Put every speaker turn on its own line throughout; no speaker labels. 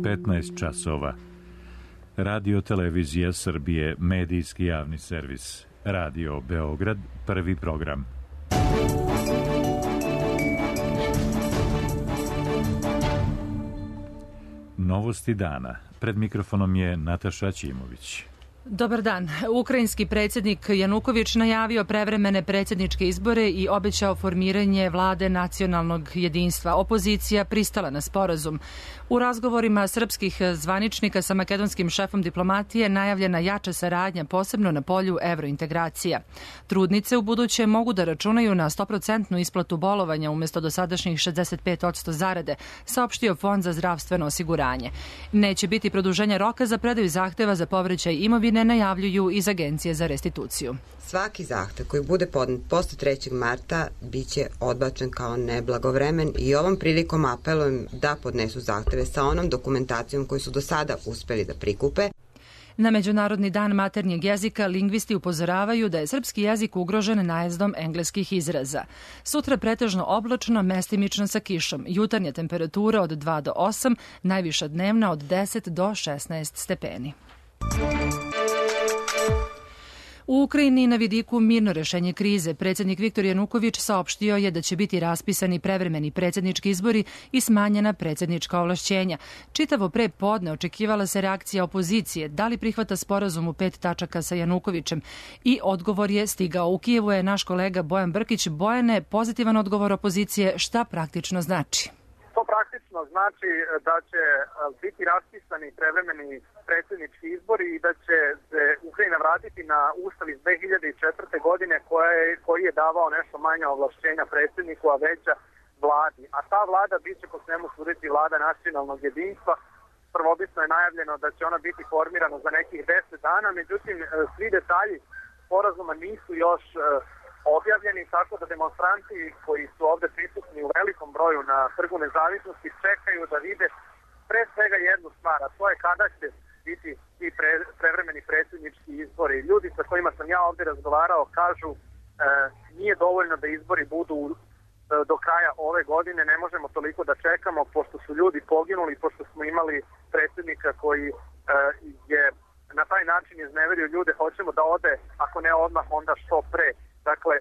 15 časova. Radio Televizija Srbije, medijski javni servis. Radio Beograd, prvi program. Novosti dana. Pred mikrofonom je Nataša Ćimović.
Dobar dan. Ukrajinski predsjednik Januković najavio prevremene predsjedničke izbore i obećao formiranje vlade nacionalnog jedinstva. Opozicija pristala na sporazum. U razgovorima srpskih zvaničnika sa makedonskim šefom diplomatije najavljena jača saradnja, posebno na polju evrointegracija. Trudnice u buduće mogu da računaju na 100% isplatu bolovanja umjesto dosadašnjih 65% zarade, saopštio Fond za zdravstveno osiguranje. Neće biti produženja roka za predaju zahteva za povraćaj imovine, najavljuju iz Agencije za restituciju.
Svaki zahtev koji bude podnet posle 3. marta biće odbačen kao neblagovremen i ovom prilikom apelujem da podnesu zahteve sa onom dokumentacijom koju su do sada uspeli da prikupe.
Na Međunarodni dan maternjeg jezika lingvisti upozoravaju da je srpski jezik ugrožen najezdom engleskih izraza. Sutra pretežno oblačno, mestimično sa kišom. Jutarnja temperatura od 2 do 8, najviša dnevna od 10 do 16 stepeni. U Ukrajini na vidiku mirno rešenje krize. Predsjednik Viktor Januković saopštio je da će biti raspisani prevremeni predsjednički izbori i smanjena predsjednička ovlašćenja. Čitavo pre podne očekivala se reakcija opozicije, da li prihvata sporazum u 5 tačaka sa Janukovićem, i odgovor je stigao. U Kijevu je naš kolega Bojan Brkić. Bojane, pozitivan odgovor opozicije, šta praktično znači?
To praktično znači da će biti raspisani prevremeni predsjednički izbori i da će se Ukrajina vratiti na ustav iz 2004. godine koji je davao nešto manje ovlašćenja predsjedniku, a veća vladi. A ta vlada biće po svemu suditi vlada nacionalnog jedinstva. Prvobitno je najavljeno da će ona biti formirana za nekih 10 dana, međutim svi detalji sporazuma nisu još objavljeni, tako da demonstranti koji su ovde prisutni u velikom broju na Trgu Nezavisnosti čekaju da vide pre svega jednu stvar, a to je kada će biti ti prevremeni predsjednički izbori. Ljudi sa kojima sam ja ovde razgovarao kažu nije dovoljno da izbori budu do kraja ove godine, ne možemo toliko da čekamo pošto su ljudi poginuli, pošto smo imali predsjednika koji je na taj način izneverio ljude, hoćemo da ode, ako ne odmah, onda što pre. Dakle,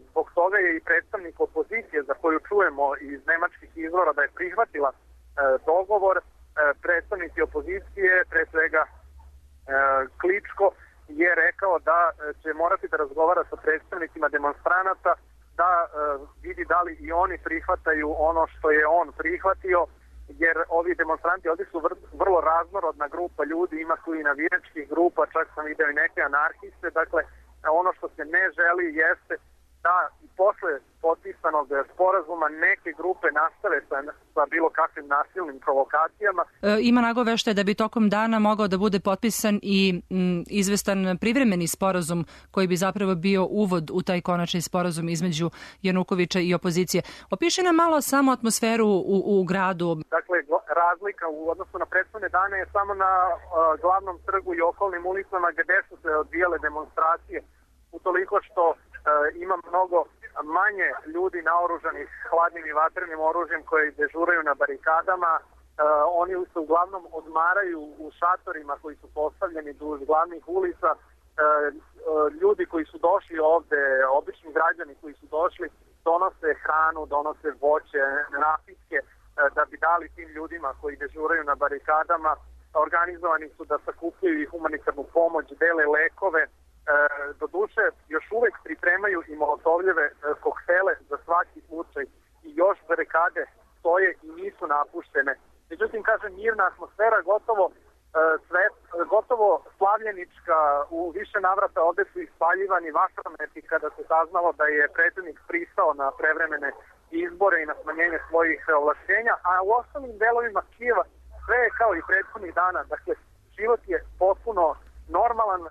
zbog toga je i predstavnik opozicije, za koju čujemo iz nemačkih izvora da je prihvatila dogovor, predstavnici opozicije, pre svega Kličko, je rekao da će morati da razgovara sa predstavnicima demonstranata, da vidi da li i oni prihvataju ono što je on prihvatio, jer ovi demonstranti ovdje su vrlo raznorodna grupa ljudi, ima tu i navijačkih grupa, čak sam video i neke anarhiste. Dakle, ono što se ne želi jeste da i posle potpisanog sporazuma neke grupe nastave sa bilo kakvim nasilnim provokacijama.
Ima nagoveštaje da bi tokom dana mogao da bude potpisan i izvestan privremeni sporazum koji bi zapravo bio uvod u taj konačni sporazum između Janukovića i opozicije. Opiši nam malo samo atmosferu u gradu.
Dakle, razlika u odnosu na prethodne dane je samo na glavnom trgu i okolnim ulicama gde su se odvijale demonstracije, utoliko što ima mnogo manje ljudi naoružanih hladnim i vatrenim oružjem koji dežuraju na barikadama. Oni se uglavnom odmaraju u šatorima koji su postavljeni duž glavnih ulica. Ljudi koji su došli ovde, obični građani koji su došli, donose hranu, donose voće, napitke da bi dali tim ljudima koji dežuraju na barikadama. Organizovani su da sakupljaju i humanitarnu pomoć, dele lekove. Doduše, još uvek pripremaju i molotovljeve koktele za svaki slučaj i još barikade stoje i nisu napuštene. Međutim, kažem, mirna atmosfera, gotovo slavljenička, u više navrata ovde su ispaljivani vatrometi kada se saznalo da je predsjednik pristao na prevremene izbore i na smanjenje svojih ovlašćenja, a u ostalim delovima Kijeva sve je kao i prethodnih dana. Dakle, život je potpuno normalan.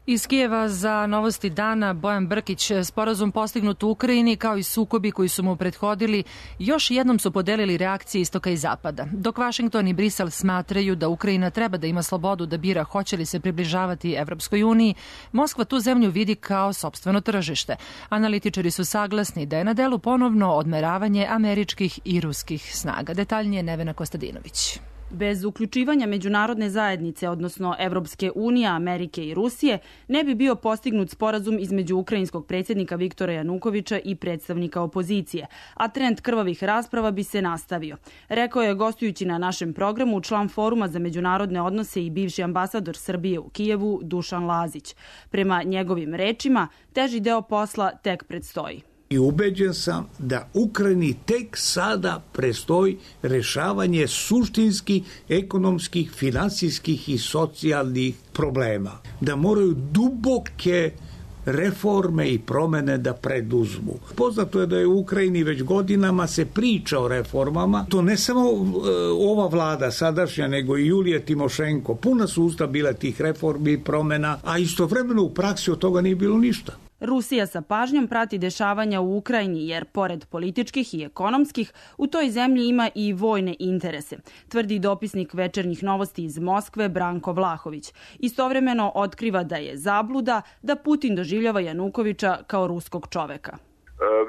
Iz Kijeva za Novosti dana Bojan Brkić. Sporazum postignut u Ukrajini kao i sukobi koji su mu prethodili još jednom su podelili reakcije istoka i zapada. Dok Vašington i Brisel smatraju da Ukrajina treba da ima slobodu da bira hoće li se približavati Evropskoj uniji, Moskva tu zemlju vidi kao sopstveno tržište. Analitičari su saglasni da je na delu ponovno odmeravanje američkih i ruskih snaga. Detaljnije Nevena Kostadinović.
Bez uključivanja međunarodne zajednice, odnosno Evropske unije, Amerike i Rusije, ne bi bio postignut sporazum između ukrajinskog predsjednika Viktora Janukovića i predstavnika opozicije, a trend krvavih rasprava bi se nastavio. Rekao je gostujući na našem programu član Foruma za međunarodne odnose i bivši ambasador Srbije u Kijevu Dušan Lazić. Prema njegovim rečima, teži deo posla tek predstoji.
I ubeđen sam da Ukrajini tek sada predstoji rešavanje suštinskih, ekonomskih, finansijskih i socijalnih problema. Da moraju duboke reforme i promene da preduzmu. Poznato je da je u Ukrajini već godinama se priča o reformama. To ne samo ova vlada sadašnja, nego i Julija Timošenko. Puna su usta bila tih reformi i promena, a istovremeno u praksi od toga nije bilo ništa.
Rusija sa pažnjom prati dešavanja u Ukrajini jer, pored političkih i ekonomskih, u toj zemlji ima i vojne interese, tvrdi dopisnik Večernjih novosti iz Moskve Branko Vlahović. Istovremeno otkriva da je zabluda da Putin doživljava Janukovića kao ruskog čoveka.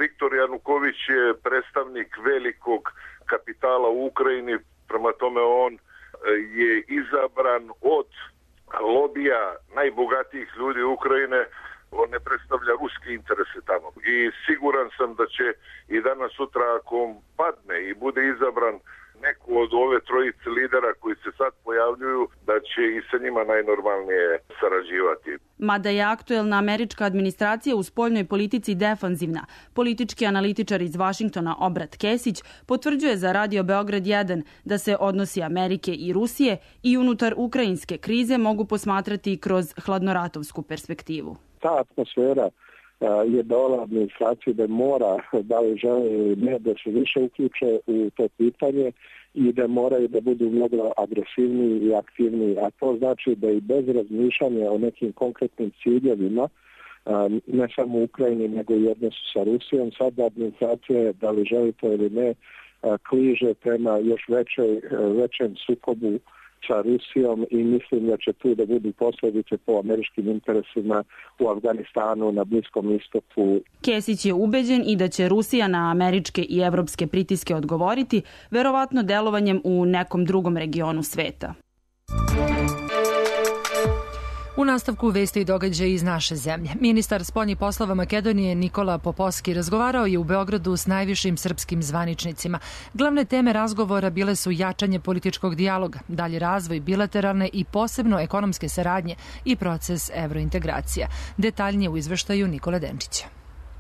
Viktor Januković je predstavnik velikog kapitala u Ukrajini, prema tome on je izabran od lobija najbogatijih ljudi Ukrajine. On ne predstavlja ruske interese tamo. I siguran sam da će i danas sutra, ako on padne i bude izabran neko od ove trojice lidera koji se sad pojavljuju, da će i sa njima najnormalnije sarađivati.
Mada je aktuelna američka administracija u spoljnoj politici defanzivna, politički analitičar iz Vašingtona Obrat Kesić potvrđuje za Radio Beograd 1 da se odnosi Amerike i Rusije i unutar ukrajinske krize mogu posmatrati kroz hladnoratovsku perspektivu.
Ta atmosfera je dala administraciji da mora, da li žele ili ne, da se više uključe u to pitanje i da moraju da budu mnogo agresivniji i aktivniji. A to znači da i bez razmišljanja o nekim konkretnim ciljevima, ne samo u Ukrajini, nego i odnosu sa Rusijom, sada administracija, da li želi to ili ne, kliže prema još većem sukobu sa Rusijom i mislim da će tu da budu posljedice po američkim interesima u Afganistanu, na Bliskom istoku.
Kesić je ubeđen i da će Rusija na američke i evropske pritiske odgovoriti, verovatno delovanjem u nekom drugom regionu sveta.
U nastavku vesti i događaja iz naše zemlje. Ministar spoljnih poslova Makedonije Nikola Popovski razgovarao je u Beogradu s najvišim srpskim zvaničnicima. Glavne teme razgovora bile su jačanje političkog dijaloga, dalji razvoj bilateralne i posebno ekonomske saradnje i proces evrointegracija. Detaljnije u izveštaju Nikole Denčića.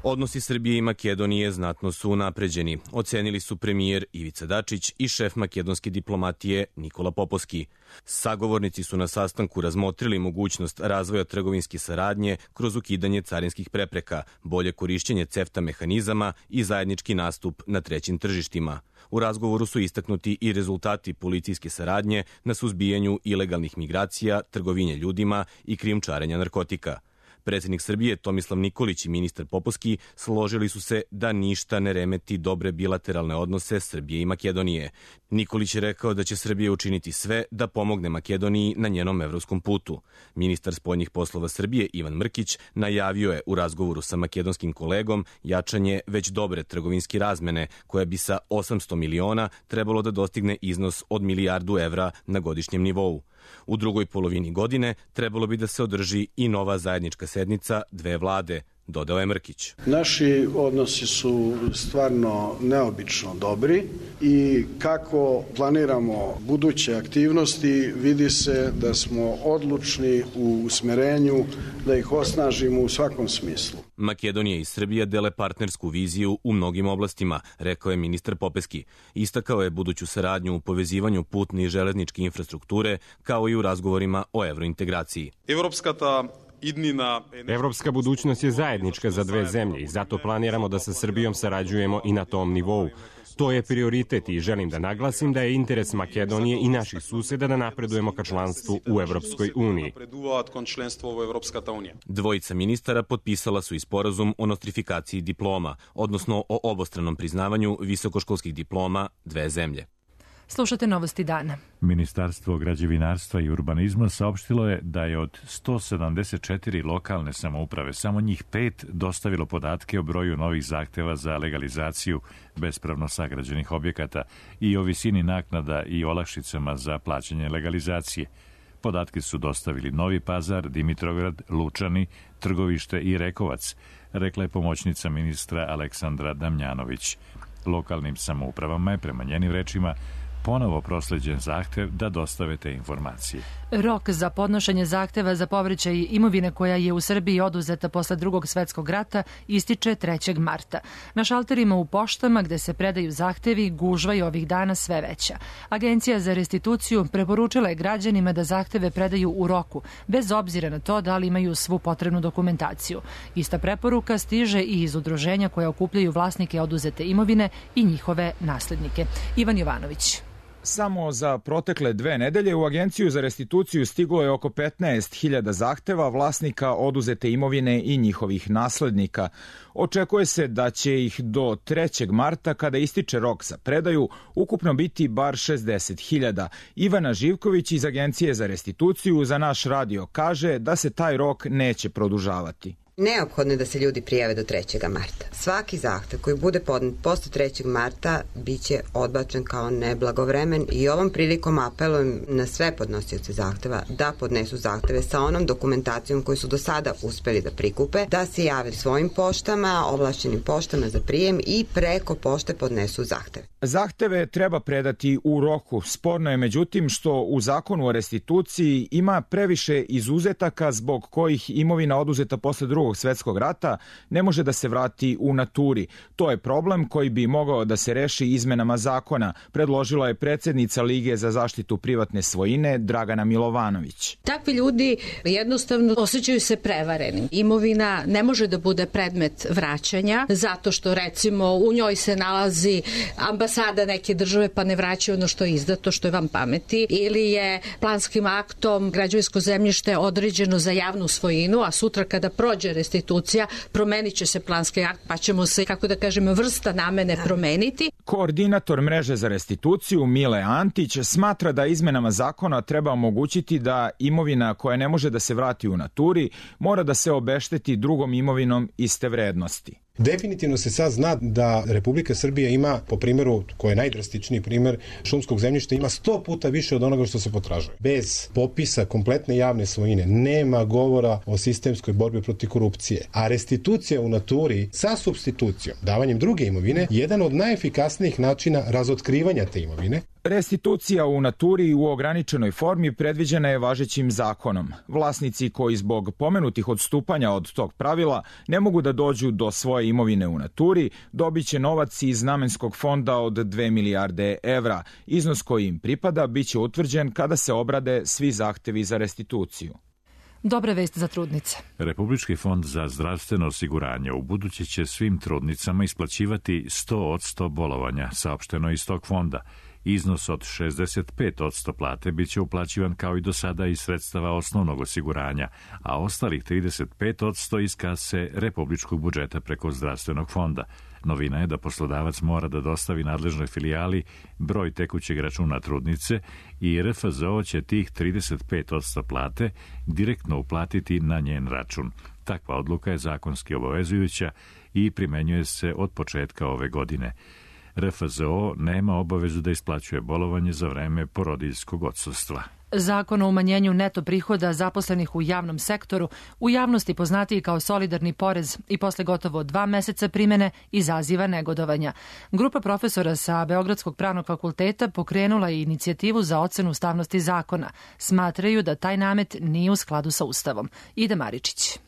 Odnosi Srbije i Makedonije znatno su unapređeni, ocenili su premijer Ivica Dačić i šef makedonske diplomatije Nikola Popovski. Sagovornici su na sastanku razmotrili mogućnost razvoja trgovinske saradnje kroz ukidanje carinskih prepreka, bolje korišćenje CEFTA mehanizama i zajednički nastup na trećim tržištima. U razgovoru su istaknuti i rezultati policijske saradnje na suzbijanju ilegalnih migracija, trgovine ljudima i krijumčarenja narkotika. Predsjednik Srbije Tomislav Nikolić i ministar Popovski složili su se da ništa ne remeti dobre bilateralne odnose Srbije i Makedonije. Nikolić je rekao da će Srbija učiniti sve da pomogne Makedoniji na njenom evropskom putu. Ministar spoljnih poslova Srbije Ivan Mrkić najavio je u razgovoru sa makedonskim kolegom jačanje već dobre trgovinske razmene koja bi sa 800 miliona trebalo da dostigne iznos od milijardu evra na godišnjem nivou. U drugoj polovini godine trebalo bi da se održi i nova zajednička sednica dve vlade, dodao je Mrkić.
Naši odnosi su stvarno neobično dobri i kako planiramo buduće aktivnosti vidi se da smo odlučni u usmerenju da ih osnažimo u svakom smislu.
Makedonija i Srbija dele partnersku viziju u mnogim oblastima, rekao je ministar Popovski. Istakao je buduću saradnju u povezivanju putne i železničke infrastrukture kao i u razgovorima o evrointegraciji.
Evropska budućnost je zajednička za dve zemlje i zato planiramo da sa Srbijom sarađujemo i na tom nivou. To je prioritet i želim da naglasim da je interes Makedonije i naših suseda da napredujemo ka članstvu u Evropskoj uniji.
Dvojica ministara potpisala su i sporazum o nostrifikaciji diploma, odnosno o obostranom priznavanju visokoškolskih diploma dve zemlje.
Slušate Novosti dana.
Ministarstvo građevinarstva i urbanizma saopštilo je da je od 174 lokalne samouprave samo njih 5 dostavilo podatke o broju novih zahteva za legalizaciju bespravno sagrađenih objekata i o visini naknada i olakšicama za plaćanje legalizacije. Podatke su dostavili Novi Pazar, Dimitrovgrad, Lučani, Trgovište i Rekovac, rekla je pomoćnica ministra Aleksandra Damjanović. Lokalnim samoupravama je, prema njenim rečima, ponovo prosleđen zahtev da dostave te informacije.
Rok za podnošenje zahteva za povraćaj imovine koja je u Srbiji oduzeta posle Drugog svetskog rata ističe 3. marta. Na šalterima u poštama gde se predaju zahtevi gužva je ovih dana sve veća. Agencija za restituciju preporučila je građanima da zahteve predaju u roku, bez obzira na to da li imaju svu potrebnu dokumentaciju. Ista preporuka stiže i iz udruženja koja okupljaju vlasnike oduzete imovine i njihove naslednike. Ivan Jovanović.
Samo za protekle 2 nedelje u Agenciju za restituciju stiglo je oko 15.000 zahteva vlasnika oduzete imovine i njihovih naslednika. Očekuje se da će ih do 3. marta, kada ističe rok za predaju, ukupno biti bar 60.000. Ivana Živković iz Agencije za restituciju za naš radio kaže da se taj rok neće produžavati.
Neophodno je da se ljudi prijave do 3. marta. Svaki zahtev koji bude podnet posle 3. marta biće odbačen kao neblagovremen i ovom prilikom apelujem na sve podnosioce zahteva da podnesu zahteve sa onom dokumentacijom koju su do sada uspeli da prikupe, da se jave svojim poštama, ovlašćenim poštama za prijem i preko pošte podnesu zahteve.
Zahteve treba predati u roku. Sporno je međutim što u Zakonu o restituciji ima previše izuzetaka zbog kojih imovina oduzeta posle Drugog svetskog rata ne može da se vrati u naturi. To je problem koji bi mogao da se reši izmenama zakona, predložila je predsednica Lige za zaštitu privatne svojine Dragana Milovanović.
Takvi ljudi jednostavno osjećaju se prevarenim. Imovina ne može da bude predmet vraćanja zato što recimo u njoj se nalazi ambasada neke države pa ne vraćaju ono što je izdato, što je van pameti, ili je planskim aktom građevinsko zemljište određeno za javnu svojinu, a sutra kada prođe restitucija promenit će se planski akt pa ćemo se, kako da kažemo, vrsta namene promeniti.
Koordinator mreže za restituciju Mile Antić smatra da izmenama zakona treba omogućiti da imovina koja ne može da se vrati u naturi mora da se obešteti drugom imovinom iste vrednosti.
Definitivno se sad zna da Republika Srbija ima, po primjeru, koji je najdrastičniji primjer šumskog zemljišta, ima 100 puta više od onoga što se potražuje. Bez popisa kompletne javne svojine nema govora o sistemskoj borbi protiv korupcije. A restitucija u naturi sa supstitucijom, davanjem druge imovine, jedan od najefikasnijih načina razotkrivanja te imovine.
Restitucija u naturi u ograničenoj formi predviđena je važećim zakonom. Vlasnici koji zbog pomenutih odstupanja od tog pravila ne mogu da dođu do svoje imovine u naturi, dobit će novac iz namenskog fonda od 2 milijarde evra. Iznos koji im pripada biće utvrđen kada se obrade svi zahtevi za restituciju.
Dobra vest za trudnice.
Republički fond za zdravstveno osiguranje ubuduće će svim trudnicama isplaćivati 100% bolovanja, saopšteno iz tog fonda. Iznos od 65% plate biće uplaćivan kao i do sada iz sredstava osnovnog osiguranja, a ostalih 35% iz kase republičkog budžeta preko zdravstvenog fonda. Novina je da poslodavac mora da dostavi nadležnoj filijali broj tekućeg računa trudnice i RFZO će tih 35% plate direktno uplatiti na njen račun. Takva odluka je zakonski obavezujuća i primenjuje se od početka ove godine. RFZO nema obavezu da isplaćuje bolovanje za vreme porodiljskog odsustva.
Zakon o umanjenju neto prihoda zaposlenih u javnom sektoru, u javnosti poznatiji kao solidarni porez i posle gotovo 2 meseca primene izaziva negodovanja. Grupa profesora sa Beogradskog pravnog fakulteta pokrenula je inicijativu za ocenu ustavnosti zakona. Smatraju da taj namet nije u skladu sa Ustavom. Ida Maričić.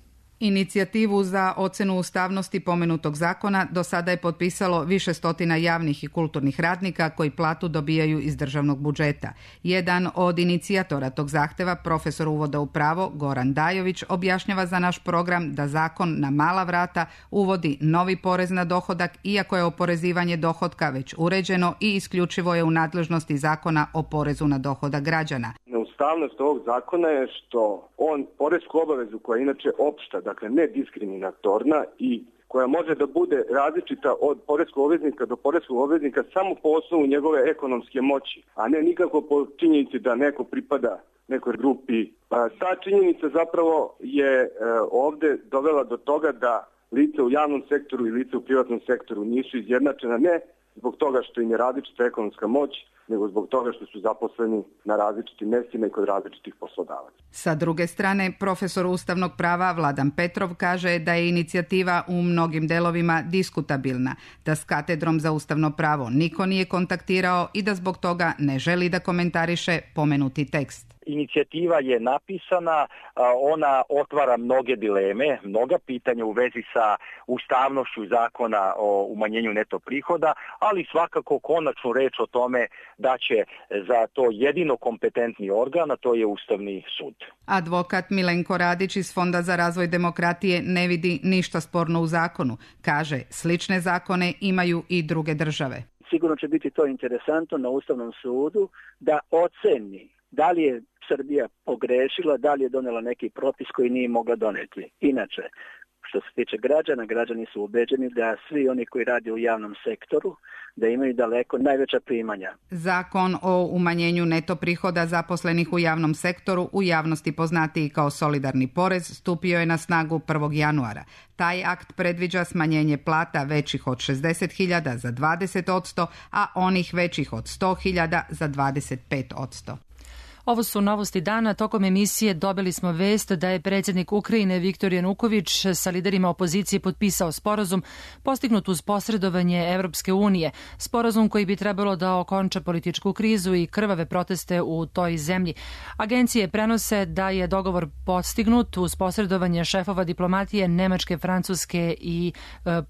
Inicijativu za ocenu ustavnosti pomenutog zakona do sada je potpisalo više stotina javnih i kulturnih radnika koji platu dobijaju iz državnog budžeta. Jedan od inicijatora tog zahteva, profesor uvoda u pravo Goran Dajović, objašnjava za naš program da zakon na mala vrata uvodi novi porez na dohodak, iako je oporezivanje dohotka već uređeno i isključivo je u nadležnosti zakona o porezu na dohodak građana.
Ustavnost ovog zakona je što on poresku obavezu koja je inače opšta, dakle ne diskriminatorna i koja može da bude različita od poreskog obveznika do poreskog obveznika samo po osnovu njegove ekonomske moći, a ne nikako po činjenici da neko pripada nekoj grupi. Ta činjenica zapravo je ovde dovela do toga da lice u javnom sektoru i lice u privatnom sektoru nisu izjednačena, ne zbog toga što im je različita ekonomska moć, nego zbog toga što su zaposleni na različitim mestima i kod različitih poslodavaca.
Sa druge strane, profesor ustavnog prava Vladan Petrov kaže da je inicijativa u mnogim delovima diskutabilna, da s katedrom za ustavno pravo niko nije kontaktirao i da zbog toga ne želi da komentariše pomenuti tekst.
Inicijativa je napisana, ona otvara mnoge dileme, mnoga pitanja u vezi sa ustavnošću zakona o umanjenju neto prihoda, ali svakako konačnu reč o tome da će za to jedino kompetentni organ, a to je Ustavni sud.
Advokat Milenko Radić iz Fonda za razvoj demokratije ne vidi ništa sporno u zakonu. Kaže, slične zakone imaju i druge države.
Sigurno će biti to interesantno na Ustavnom sudu da oceni da li je Srbija pogrešila, da li je donela neki propis koji nije mogla doneti. Inače, što se tiče građana, građani su ubeđeni da svi oni koji rade u javnom sektoru, da imaju daleko najveća primanja.
Zakon o umanjenju neto prihoda zaposlenih u javnom sektoru, u javnosti poznatiji kao solidarni porez, stupio je na snagu 1. januara. Taj akt predviđa smanjenje plata većih od 60.000 za 20%, a onih većih od 100.000 za 25%.
Ovo su novosti dana. Tokom emisije dobili smo vest da je predsjednik Ukrajine Viktor Januković sa liderima opozicije potpisao sporazum postignut uz posredovanje Evropske unije. Sporazum koji bi trebalo da okonča političku krizu i krvave proteste u toj zemlji. Agencije prenose da je dogovor postignut uz posredovanje šefova diplomatije Nemačke, Francuske i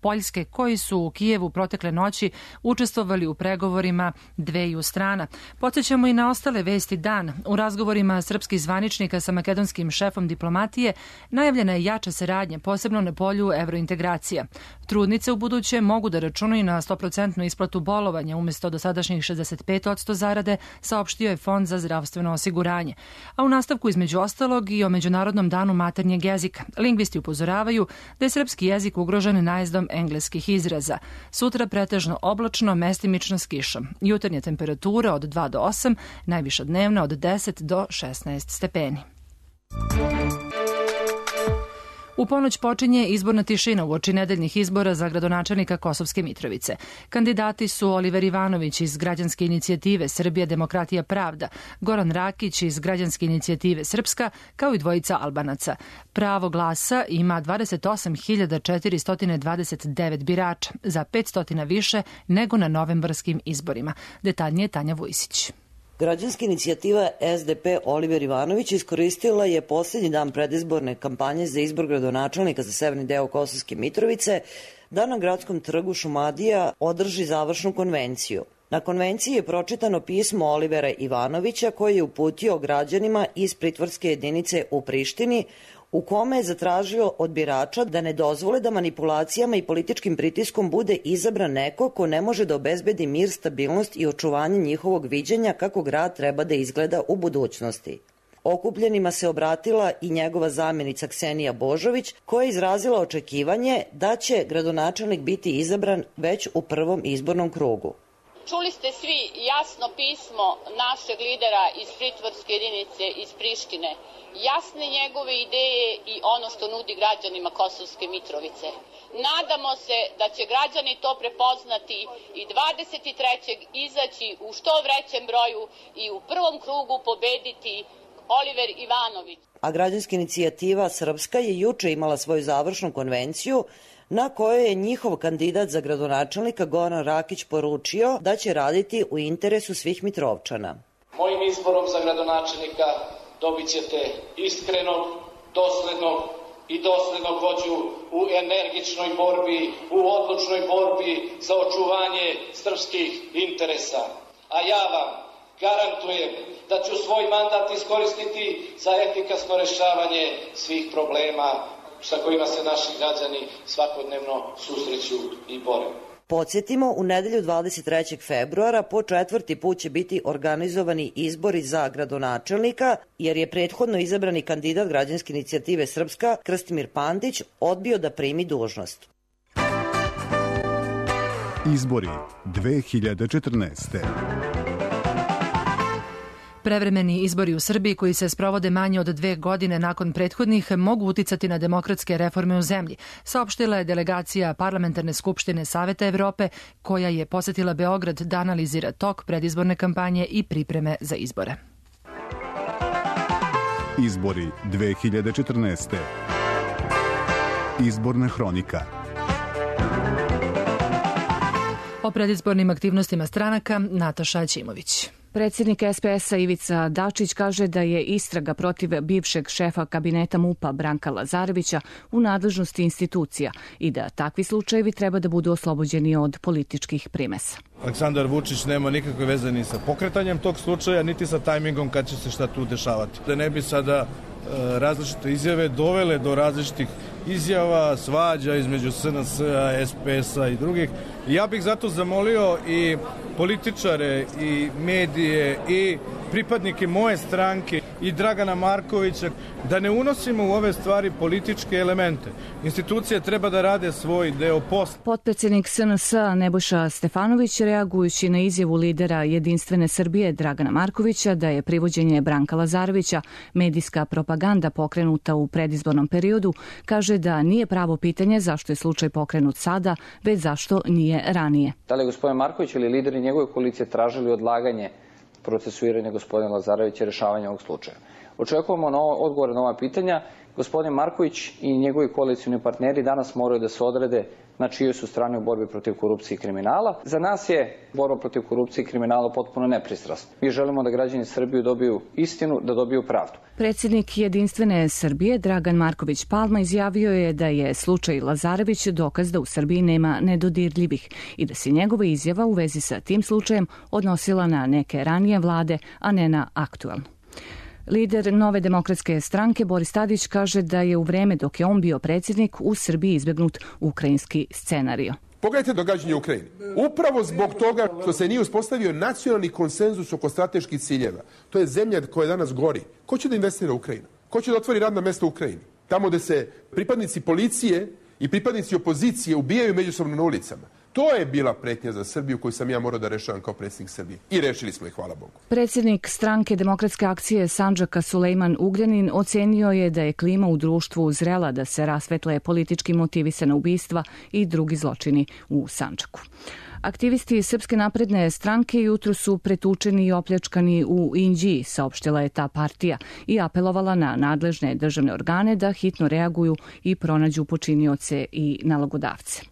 Poljske koji su u Kijevu protekle noći učestvovali u pregovorima dveju strana. Podsjećamo i na ostale vesti dana. U razgovorima srpskih zvaničnika sa makedonskim šefom diplomatije najavljena je jača saradnja, posebno na polju evrointegracija. Trudnice u buduće mogu da računaju na 100% isplatu bolovanja umjesto dosadašnjih 65% zarade, saopštio je Fond za zdravstveno osiguranje. A u nastavku između ostalog i o Međunarodnom danu maternjeg jezika. Lingvisti upozoravaju da je srpski jezik ugrožen najezdom engleskih izraza. Sutra pretežno oblačno, mestimično s kišom. Jutarnja temperatura od 2 do 8, najviša dnevna od 10 do 16 stepeni. U ponoć počinje izborna tišina uoči nedeljnih izbora za gradonačelnika Kosovske Mitrovice. Kandidati su Oliver Ivanović iz Građanske inicijative Srbija, demokratija, pravda, Goran Rakić iz Građanske inicijative Srpska, kao i dvojica Albanaca. Pravo glasa ima 28.429 birača, za 500 više nego na novembarskim izborima. Detaljnije Tanja Vujsić.
Građanska inicijativa SDP Oliver Ivanović iskoristila je posljednji dan predizborne kampanje za izbor gradonačelnika za severni deo Kosovske Mitrovice da na gradskom trgu Šumadija održi završnu konvenciju. Na konvenciji je pročitano pismo Olivera Ivanovića koji je uputio građanima iz pritvorske jedinice u Prištini u kome je zatražio od birača da ne dozvole da manipulacijama i političkim pritiskom bude izabran neko ko ne može da obezbedi mir, stabilnost i očuvanje njihovog viđenja kako grad treba da izgleda u budućnosti. Okupljenima se obratila i njegova zamjenica Ksenija Božović koja je izrazila očekivanje da će gradonačelnik biti izabran već u prvom izbornom krugu.
Čuli ste svi jasno pismo našeg lidera iz pritvorske jedinice iz Prištine, jasne njegove ideje i ono što nudi građanima Kosovske Mitrovice. Nadamo se da će građani to prepoznati i 23. izaći u što većem broju i u prvom krugu pobediti Oliver Ivanović.
A građanska inicijativa Srpska je juče imala svoju završnu konvenciju na kojoj je njihov kandidat za gradonačelnika Goran Rakić poručio da će raditi u interesu svih Mitrovčana.
Mojim izborom za gradonačelnika dobit ćete iskrenog, doslednog i doslednog vođu u energičnoj borbi, u odlučnoj borbi za očuvanje srpskih interesa. A ja vam garantujem da ću svoj mandat iskoristiti za efikasno rešavanje svih problema sa kojima se naši građani svakodnevno susreću i bore.
Podsjetimo, u nedelju 23. februara po 4. put će biti organizovani izbori za gradonačelnika, jer je prethodno izabrani kandidat Građanske inicijative Srpska, Krstimir Pantić, odbio da primi dužnost.
Izbori 2014.
Prevremeni izbori u Srbiji koji se sprovode manje od 2 godine nakon prethodnih mogu uticati na demokratske reforme u zemlji, saopštila je delegacija Parlamentarne skupštine Saveta Evrope koja je posetila Beograd da analizira tok predizborne kampanje i pripreme za izbore.
Izbori 2014. Izborna hronika.
O predizbornim aktivnostima stranaka Nataša Aćimović.
Predsjednik SPS-a Ivica Dačić kaže da je istraga protiv bivšeg šefa kabineta MUP-a Branka Lazarevića u nadležnosti institucija i da takvi slučajevi treba da budu oslobođeni od političkih primesa.
Aleksandar Vučić nema nikakve veze ni sa pokretanjem tog slučaja, niti sa tajmingom kad će se šta tu dešavati. Da ne bi sada različite izjave dovele do različitih izjava, svađa između SNS-a, SPS-a i drugih. Ja bih zato zamolio i političare i medije i pripadnike moje stranke i Dragana Markovića da ne unosimo u ove stvari političke elemente. Institucije treba da rade svoj deo posla.
Potpredsjednik SNS-a Nebojša Stefanović, reagujući na izjavu lidera Jedinstvene Srbije Dragana Markovića da je privođenje Branka Lazarevića medijska propaganda pokrenuta u predizbornom periodu, kaže da nije pravo pitanje zašto je slučaj pokrenut sada, već zašto nije ranije.
Da li je gospodin Marković ili lideri njegove koalicije tražili odlaganje procesuiranja gospodina Lazarevića i rešavanja ovog slučaja? Očekujemo odgovore na ova pitanja. Gospodin Marković i njegovi koalicijni partneri danas moraju da se odrede na čijoj su strani u borbi protiv korupcije i kriminala. Za nas je borba protiv korupcije i kriminala potpuno nepristrasna. Mi želimo da građani Srbije dobiju istinu, da dobiju pravdu.
Predsjednik Jedinstvene Srbije Dragan Marković Palma izjavio je da je slučaj Lazarević dokaz da u Srbiji nema nedodirljivih i da se njegova izjava u vezi sa tim slučajem odnosila na neke ranije vlade, a ne na aktualnu. Lider Nove demokratske stranke Boris Tadić kaže da je u vreme dok je on bio predsjednik u Srbiji izbegnut ukrajinski scenario.
Pogledajte događanje u Ukrajini. Upravo zbog toga što se nije uspostavio nacionalni konsenzus oko strateških ciljeva. To je zemlja koja danas gori. Ko će da investira u Ukrajinu? Ko će da otvori radna mesta u Ukrajini? Tamo gde se pripadnici policije i pripadnici opozicije ubijaju međusobno na ulicama. To je bila pretnja za Srbiju koju sam ja morao da rešavam kao predsjednik Srbije. I rešili smo je, hvala Bogu.
Predsjednik stranke Demokratske akcije Sandžaka Sulejman Ugljanin ocenio je da je klima u društvu zrela da se rasvetle politički motivisana ubistva i drugi zločini u Sandžaku. Aktivisti Srpske napredne stranke jutro su pretučeni i opljačkani u Inđiji, saopštila je ta partija i apelovala na nadležne državne organe da hitno reaguju i pronađu počinioce i nalogodavce.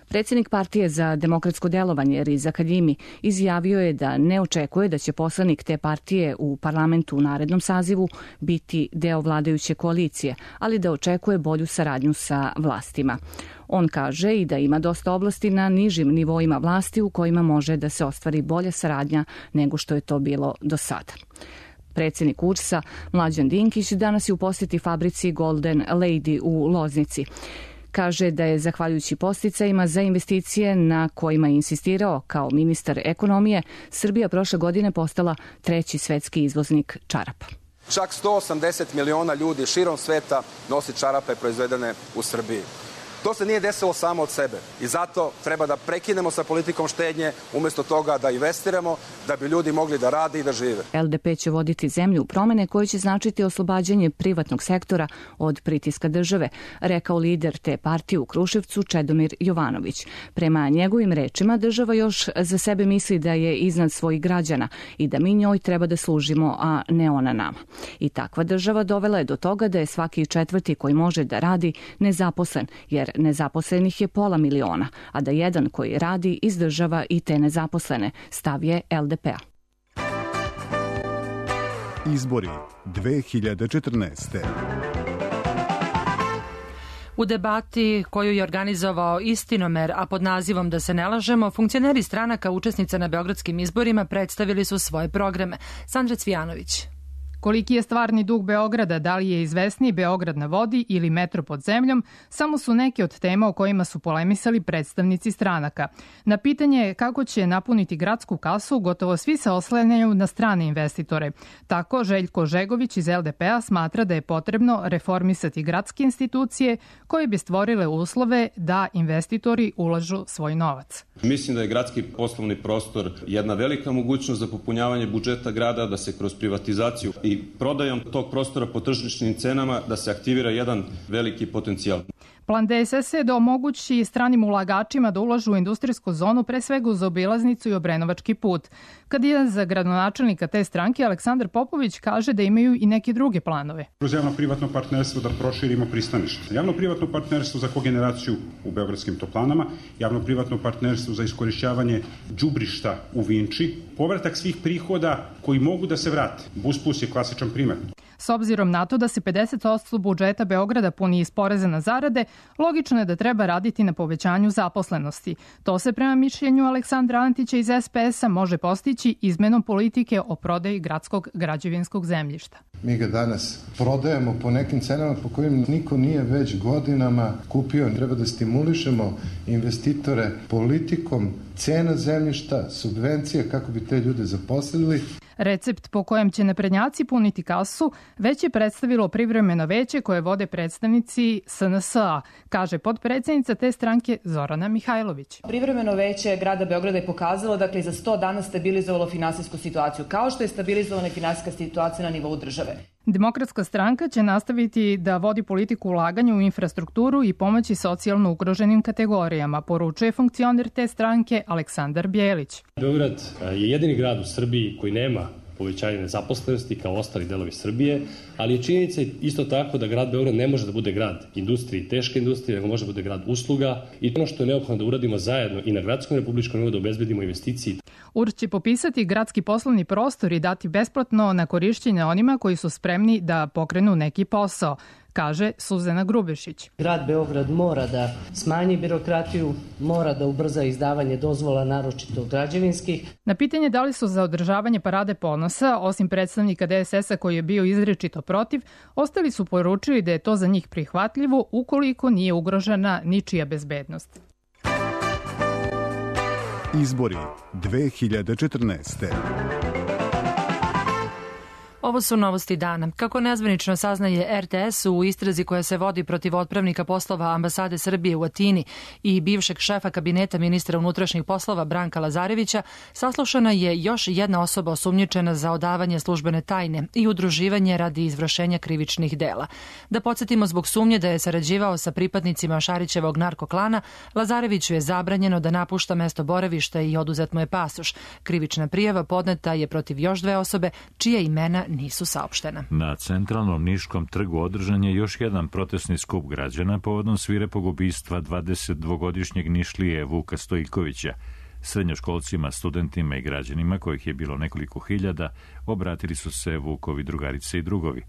Predsjednik partije za demokratsko delovanje Riza Haljimi izjavio je da ne očekuje da će poslanik te partije u parlamentu u narednom sazivu biti deo vladajuće koalicije, ali da očekuje bolju saradnju sa vlastima. On kaže i da ima dosta oblasti na nižim nivoima vlasti u kojima može da se ostvari bolja saradnja nego što je to bilo do sada. Predsjednik URS-a Mlađan Dinkić danas je u posjeti fabrici Golden Lady u Loznici. Kaže da je zahvaljujući podsticajima za investicije na kojima je insistirao kao ministar ekonomije, Srbija prošle godine postala 3. svetski izvoznik čarapa.
Čak 180 miliona ljudi širom sveta nosi čarape proizvedene u Srbiji. To se nije desilo samo od sebe i zato treba da prekinemo sa politikom štednje, umjesto toga da investiramo, da bi ljudi mogli da rade i da žive.
LDP će voditi zemlju u promene koje će značiti oslobađanje privatnog sektora od pritiska države, rekao lider te partije u Kruševcu Čedomir Jovanović. Prema njegovim rečima, država još za sebe misli da je iznad svojih građana i da mi njoj treba da služimo, a ne ona nama. I takva država dovela je do toga da je svaki četvrti koji može da radi nezaposlen, jer nezaposlenih je 500 miliona, a da jedan koji radi izdržava i te nezaposlene, stav je LDP-a.
Izbori 2014.
U debati koju je organizovao Istinomer, a pod nazivom Da se ne lažemo, funkcioneri stranaka učesnica na beogradskim izborima predstavili su svoje programe. Sandra Cvijanović.
Koliki je stvarni dug Beograda, da li je izvesniji Beograd na vodi ili metro pod zemljom, samo su neke od tema o kojima su polemisali predstavnici stranaka. Na pitanje kako će napuniti gradsku kasu, gotovo svi se oslanjaju na strane investitore. Tako Željko Žegović iz LDP-a smatra da je potrebno reformisati gradske institucije koje bi stvorile uslove da investitori ulažu svoj novac.
Mislim da je gradski poslovni prostor jedna velika mogućnost za popunjavanje budžeta grada, da se kroz privatizaciju i prodajom tog prostora po tržišnim cenama da se aktivira jedan veliki potencijal.
Plan DSS je da omogući stranim ulagačima da ulažu u industrijsku zonu, pre svega uz obilaznicu i Obrenovački put. Kandidat za gradonačelnika te stranke Aleksandar Popović kaže da imaju i neke druge planove.
Kroz javno-privatno partnerstvo da proširimo pristanište. Javno-privatno partnerstvo za kogeneraciju u beogradskim toplanama, javno-privatno partnerstvo za iskorišćavanje đubrišta u Vinči, povratak svih prihoda koji mogu da se vrate. Busplus je klasičan primer.
S obzirom na to da se 50% budžeta Beograda puni iz poreza na zarade, logično je da treba raditi na povećanju zaposlenosti. To se prema mišljenju Aleksandra Antića iz SPS-a može postići izmenom politike o prodaji gradskog građevinskog zemljišta.
Mi ga danas prodajemo po nekim cenama po kojim niko nije već godinama kupio. Treba da stimulišemo investitore politikom cena zemljišta, subvencija kako bi te ljude zaposlili.
Recept po kojem će naprednjaci puniti kasu već je predstavilo privremeno veće koje vode predstavnici SNS-a, kaže potpredsednica te stranke Zorana Mihajlović.
Privremeno veće grada Beograda je pokazalo, dakle, za 100 dana stabilizovalo finansijsku situaciju, kao što je stabilizovana finansijska situacija na nivou države.
Demokratska stranka će nastaviti da vodi politiku ulaganja u infrastrukturu i pomoći socijalno ugroženim kategorijama, poručuje funkcioner te stranke Aleksandar Bjelić.
Beograd je jedini grad u Srbiji koji nema povećanje nezaposlenosti kao ostali delovi Srbije, ali je činjenica isto tako da grad Beograd ne može da bude grad industrije, teške industrije, nego može da bude grad usluga i ono što je neophodno da uradimo zajedno i na gradskom i republičkom nivou da obezbedimo investicije.
URS će popisati gradski poslovni prostor i dati besplatno na korišćenje onima koji su spremni da pokrenu neki posao, kaže Suzana Grubešić.
Grad Beograd mora da smanji birokratiju, mora da ubrza izdavanje dozvola, naročito građevinskih.
Na pitanje da li su za održavanje Parade ponosa, osim predstavnika DSS-a koji je bio izričito protiv, ostali su poručili da je to za njih prihvatljivo ukoliko nije ugrožena ničija bezbednost.
Izbori 2014.
Ovo su novosti dana. Kako nezvanično saznaje RTS, u istrazi koja se vodi protiv otpravnika poslova ambasade Srbije u Atini i bivšeg šefa kabineta ministra unutrašnjih poslova Branka Lazarevića, saslušana je još jedna osoba osumnjičena za odavanje službene tajne i udruživanje radi izvršenja krivičnih dela. Da podsjetimo, zbog sumnje da je sarađivao sa pripadnicima Šarićevog narkoklana, Lazareviću je zabranjeno da napušta mesto boravišta i oduzet mu je pasoš. Krivična prijava podneta je protiv još 2 osobe, čije imena nisu saopštena.
Na centralnom Niškom trgu održan je još jedan protestni skup građana povodom svirepog ubistva 22-godišnjeg Nišlije Vuka Stojkovića. Srednjoškolcima, studentima i građanima, kojih je bilo nekoliko hiljada, obratili su se Vukovi drugarice i drugovi.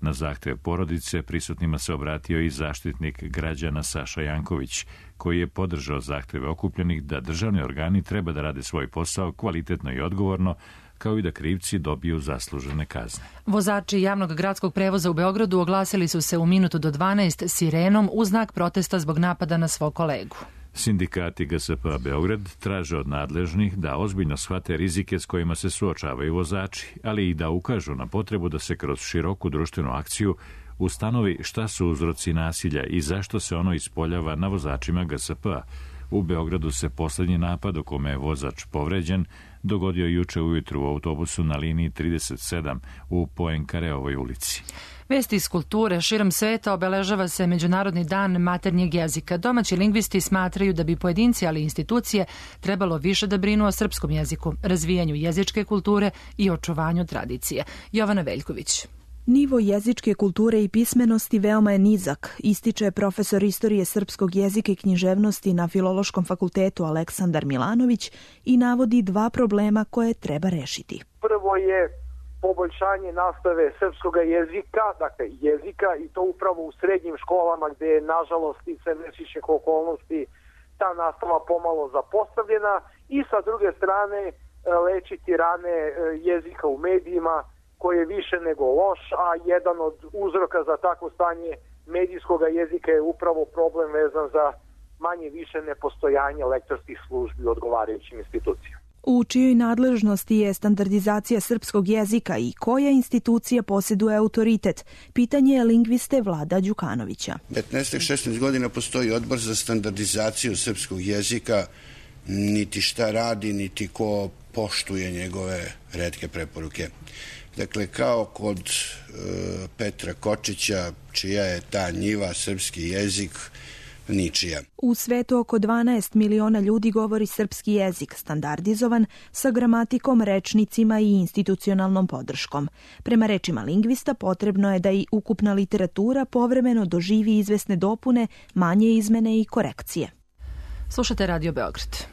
Na zahtev porodice prisutnima se obratio i zaštitnik građana Saša Janković, koji je podržao zahteve okupljenih da državni organi treba da rade svoj posao kvalitetno i odgovorno, kao i da krivci dobiju zaslužene kazne.
Vozači javnog gradskog prevoza u Beogradu oglasili su se u minutu do 12 sirenom u znak protesta zbog napada na svog kolegu.
Sindikati GSP-a Beograd traže od nadležnih da ozbiljno shvate rizike s kojima se suočavaju vozači, ali i da ukažu na potrebu da se kroz široku društvenu akciju ustanovi šta su uzroci nasilja i zašto se ono ispoljava na vozačima GSP-a. U Beogradu se poslednji napad u kome je vozač povređen dogodio juče ujutru u autobusu na liniji 37 u Poenkareovoj ulici.
Vesti iz kulture. Širom sveta obeležava se Međunarodni dan maternjeg jezika. Domaći lingvisti smatraju da bi pojedinci, ali i institucije, trebalo više da brinu o srpskom jeziku, razvijanju jezičke kulture i očuvanju tradicije. Jovana Veljković.
Nivo jezičke kulture i pismenosti veoma je nizak, ističe profesor istorije srpskog jezika i književnosti na Filološkom fakultetu Aleksandar Milanović i navodi 2 problema koje treba rešiti.
Prvo je poboljšanje nastave srpskog jezika, dakle jezika, i to upravo u srednjim školama gde je, nažalost, i sve nesrećnih okolnosti ta nastava pomalo zapostavljena, i sa druge strane lečiti rane jezika u medijima koji je više nego loš, a jedan od uzroka za takvo stanje medijskog jezika je upravo problem vezan za manje više nepostojanje lektorskih službi u odgovarajućim institucijama.
U čijoj nadležnosti je standardizacija srpskog jezika i koja institucija posjeduje autoritet? Pitanje je lingviste Vlada Đukanovića.
15-16 godina postoji odbor za standardizaciju srpskog jezika, niti šta radi, niti ko poštuje njegove retke preporuke. Dakle, kao kod Petra Kočića, čija je ta njiva, srpski jezik, ničija.
U svetu oko 12 miliona ljudi govori srpski jezik, standardizovan, sa gramatikom, rečnicima i institucionalnom podrškom. Prema rečima lingvista, potrebno je da i ukupna literatura povremeno doživi izvesne dopune, manje izmene i korekcije.
Slušate Radio Beograd.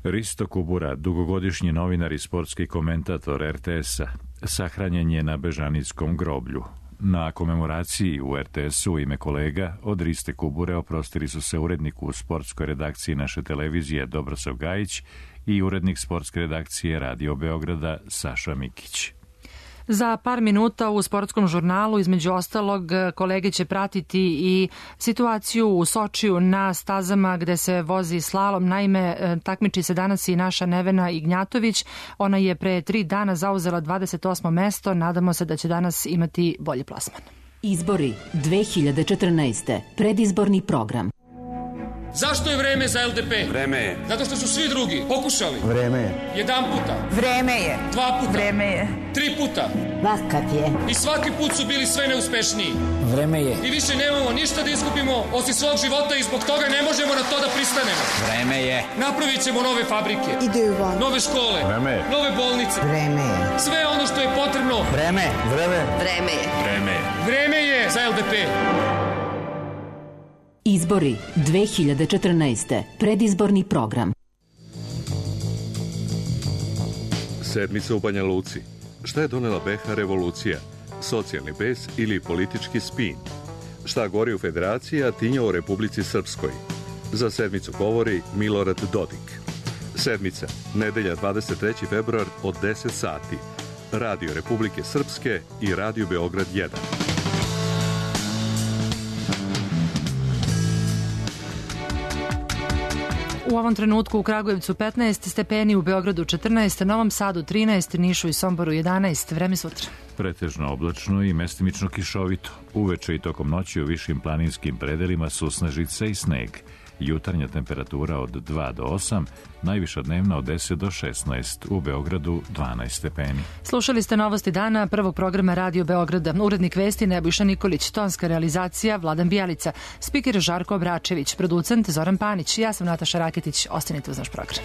Risto Kubura, dugogodišnji novinar i sportski komentator RTS-a, sahranjen je na Bežanijskom groblju. Na komemoraciji u RTS-u u ime kolega od Riste Kubure oprostili su se urednik u sportskoj redakciji naše televizije Dobrosav Gajić i urednik sportske redakcije Radio Beograda Saša Mikić.
Za par minuta u sportskom žurnalu, između ostalog, kolege će pratiti i situaciju u Sočiju na stazama gde se vozi slalom. Naime, takmiči se danas i naša Nevena Ignjatović. Ona je pre 3 dana zauzela 28. mesto. Nadamo se da će danas imati bolji plasman.
Izbori 2014. Predizborni program.
Zašto je vreme za LDP?
Vreme je.
Zato što su svi drugi pokušali.
Vreme je.
Jedan puta.
Vreme je.
2 puta.
Vreme je.
3 puta.
Vakat je.
I svaki put su bili sve neuspešniji.
Vreme je.
I više nemamo ništa da izgubimo osim svog života i zbog toga ne možemo na to da pristanemo.
Vreme je.
Napravit ćemo nove fabrike.
Ideju van.
Nove škole.
Vreme je.
Nove bolnice.
Vreme je.
Sve ono što je potrebno.
Vreme.
Vreme.
Vreme je.
Vreme je.
Vreme je za LDP.
Izbori 2014. Predizborni program.
Sedmica u Banja Luci. Šta je donela BiH revolucija? Socijalni bes ili politički spin? Šta gori u Federaciji, a tinja u Republici Srpskoj? Za sedmicu govori Milorad Dodik. Sedmica, nedelja 23. februar od 10 sati. Radio Republike Srpske i Radio Beograd 1.
U ovom trenutku u Kragujevcu 15 stepeni, u Beogradu 14, Novom Sadu 13, Nišu i Somboru 11. Vreme sutra.
Pretežno oblačno i mestimično kišovito. Uveče i tokom noći u višim planinskim predelima susnežica i sneg. Jutarnja temperatura od 2 do 8, najviša dnevna od 10 do 16, u Beogradu 12 stepeni.
Slušali ste novosti dana prvog programa Radio Beograda. Urednik vesti Nebojša Nikolić, tonska realizacija Vladan Bijalica, spiker Žarko Obračević, producent Zoran Panić. Ja sam Nataša Raketić, ostanite uz naš program.